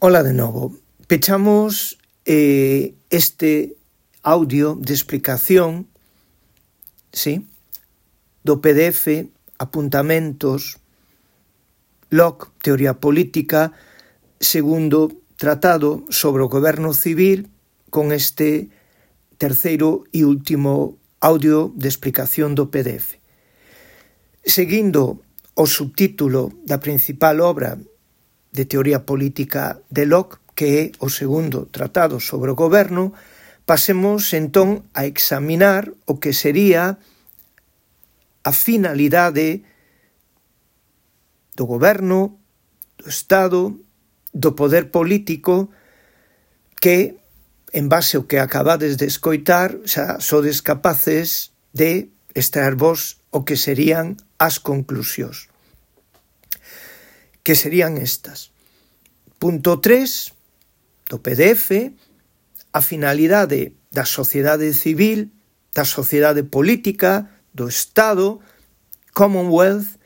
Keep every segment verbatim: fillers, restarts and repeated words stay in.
Ola de novo. Pechamos eh, este audio de explicación, sí, do P D F, apuntamentos, Locke, teoría política, segundo tratado sobre o goberno civil, con este terceiro e último audio de explicación do P D F. Seguindo o subtítulo da principal obra de teoría política de Locke, que é o segundo tratado sobre o goberno, pasemos entón a examinar o que sería a finalidade do goberno, do Estado, do poder político, que, en base ao que acabades de escoitar, xa sodes capaces de extraer vos o que serían as conclusións. Que serían estas. Punto tres do P D F, a finalidade da sociedade civil, da sociedade política, do Estado, Commonwealth,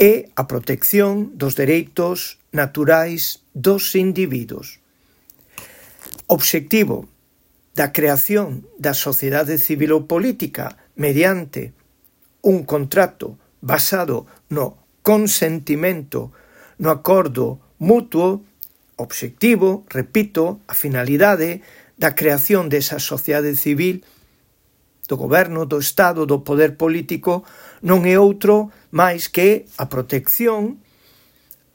e a protección dos dereitos naturais dos individuos. Obxectivo da creación da sociedade civil ou política mediante un contrato basado no consentimento, no acordo mutuo. Obxectivo, repito, a finalidade da creación desa sociedade civil, do goberno, do Estado, do poder político, non é outro máis que a protección,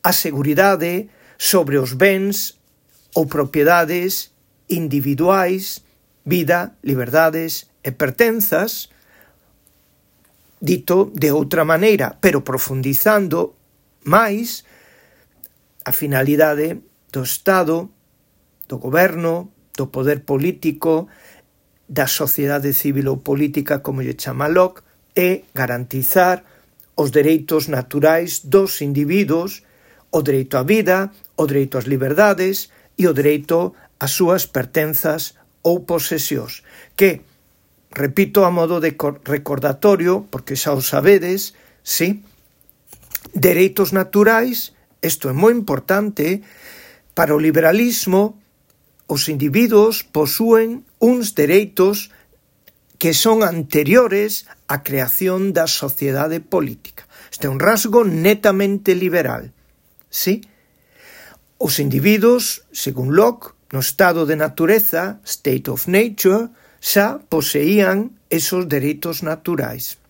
a seguridade sobre os bens ou propiedades individuais, vida, liberdades e pertenzas, dito de outra maneira, pero profundizando máis, a finalidade do Estado, do goberno, do poder político, da sociedade civil ou política, como lle chama Locke, é garantizar os dereitos naturais dos individuos, o dereito á vida, o dereito ás liberdades e o dereito ás súas pertenzas ou posesións, que, repito a modo de recordatorio, porque xa o sabedes, sí, dereitos naturais, isto é moi importante. Para o liberalismo, os individuos posúen uns dereitos que son anteriores á creación da sociedade política. Este é un rasgo netamente liberal. Sí? Os individuos, según Locke, no estado de natureza, state of nature, xa poseían esos dereitos naturais.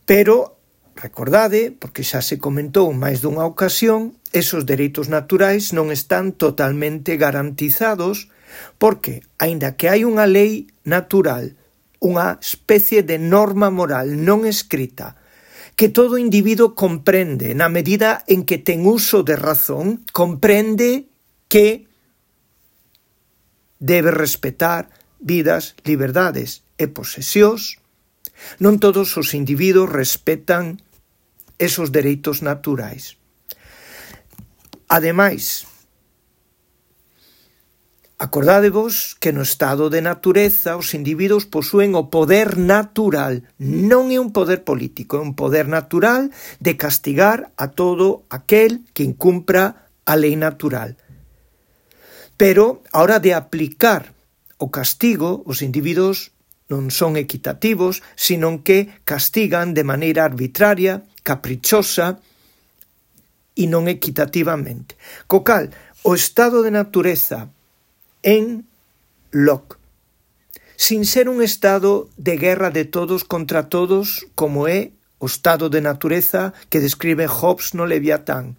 Pero, recordade, porque xa se comentou en máis dunha ocasión, esos dereitos naturais non están totalmente garantizados porque, aínda que hai unha lei natural, unha especie de norma moral non escrita, que todo individuo comprende na medida en que ten uso de razón, comprende que debe respetar vidas, liberdades e posesións, non todos os individuos respetan esos dereitos naturais. Ademais, acordádevos que no estado de natureza os individuos posúen o poder natural, non é un poder político, é un poder natural de castigar a todo aquel que incumpra a lei natural. Pero, a hora de aplicar o castigo, os individuos non son equitativos, sino que castigan de maneira arbitraria, caprichosa e non equitativamente. Co cal, o estado de natureza en Locke, sin ser un estado de guerra de todos contra todos, como é o estado de natureza que describe Hobbes no Leviatán.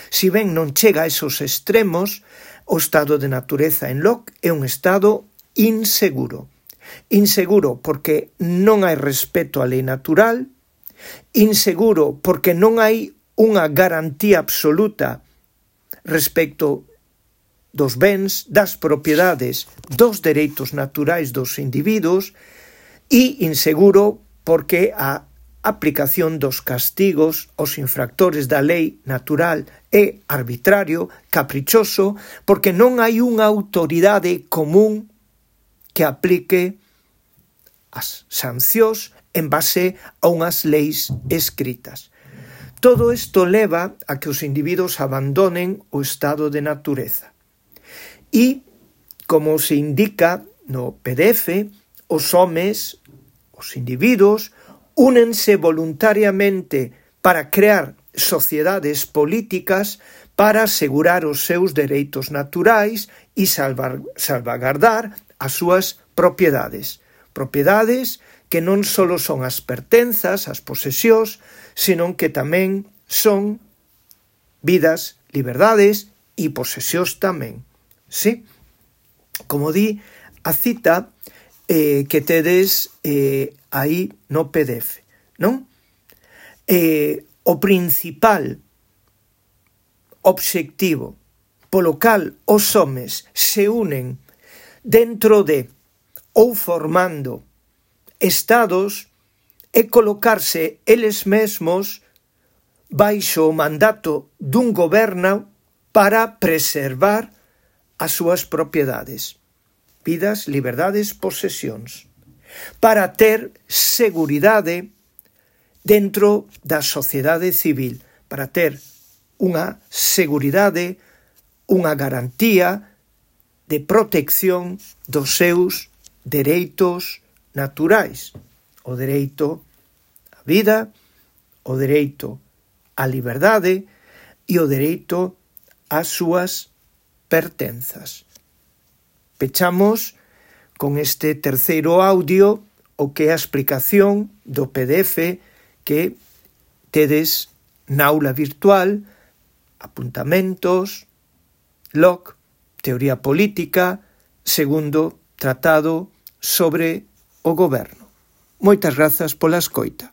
Si ben non chega a esos extremos, o estado de natureza en Locke é un estado inseguro. Inseguro porque non hai respeto á lei natural, inseguro porque non hai unha garantía absoluta respecto dos bens, das propiedades, dos dereitos naturais dos individuos, e inseguro porque a aplicación dos castigos aos infractores da lei natural é arbitrario, caprichoso, porque non hai unha autoridade común que aplique as sancións en base a unhas leis escritas. Todo isto leva a que os individuos abandonen o estado de natureza. E, como se indica no P D F, os homes, os individuos, únense voluntariamente para crear sociedades políticas para asegurar os seus dereitos naturais e salvar, salvagardar as súas propiedades. Propiedades que non só son as pertenzas, as posesións, senón que tamén son vidas, liberdades e posesións tamén. Sí? Como di a cita eh, que tedes eh, aí no P D F, non? Eh, o principal obxectivo polo cal os homes se unen dentro de ou formando estados é colocarse eles mesmos baixo o mandato dun goberno para preservar as súas propiedades, vidas, liberdades, posesións, para ter seguridade dentro da sociedade civil, para ter unha seguridade, unha garantía de protección dos seus dereitos naturais, o dereito á vida, o dereito á liberdade e o dereito ás súas pertenzas. Pechamos con este terceiro audio o que é a explicación do P D F que tedes na aula virtual, apuntamentos, Locke, teoría política, segundo tratado sobre o goberno. Moitas grazas pola escoita.